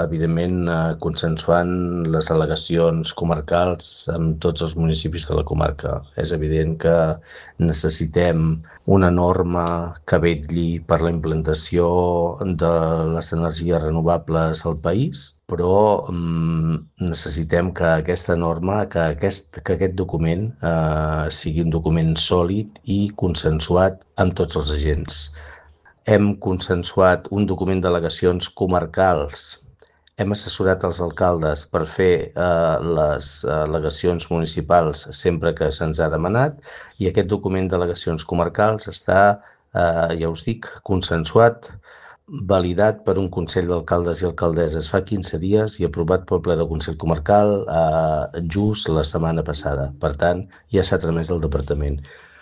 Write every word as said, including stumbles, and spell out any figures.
evidentment, eh, consensuant les al·legacions comarcals amb tots els municipis de la comarca. És evident que necessitem una norma que vetlli per la implantació de les energies renovables al país, però mm, necessitem que aquesta norma, que aquest, que aquest document eh, sigui un document sòlid i consensuat amb tots els agents. Hem consensuat un document d'al·legacions comarcals. Hem assessorat els alcaldes per fer eh, les al·legacions municipals sempre que se'ns ha demanat i aquest document d'al·legacions comarcals està, eh, ja us dic, consensuat, validat per un Consell d'Alcaldes i Alcaldesses fa quinze dies i aprovat pel ple del Consell Comarcal eh, just la setmana passada. Per tant, ja s'ha tramès al departament.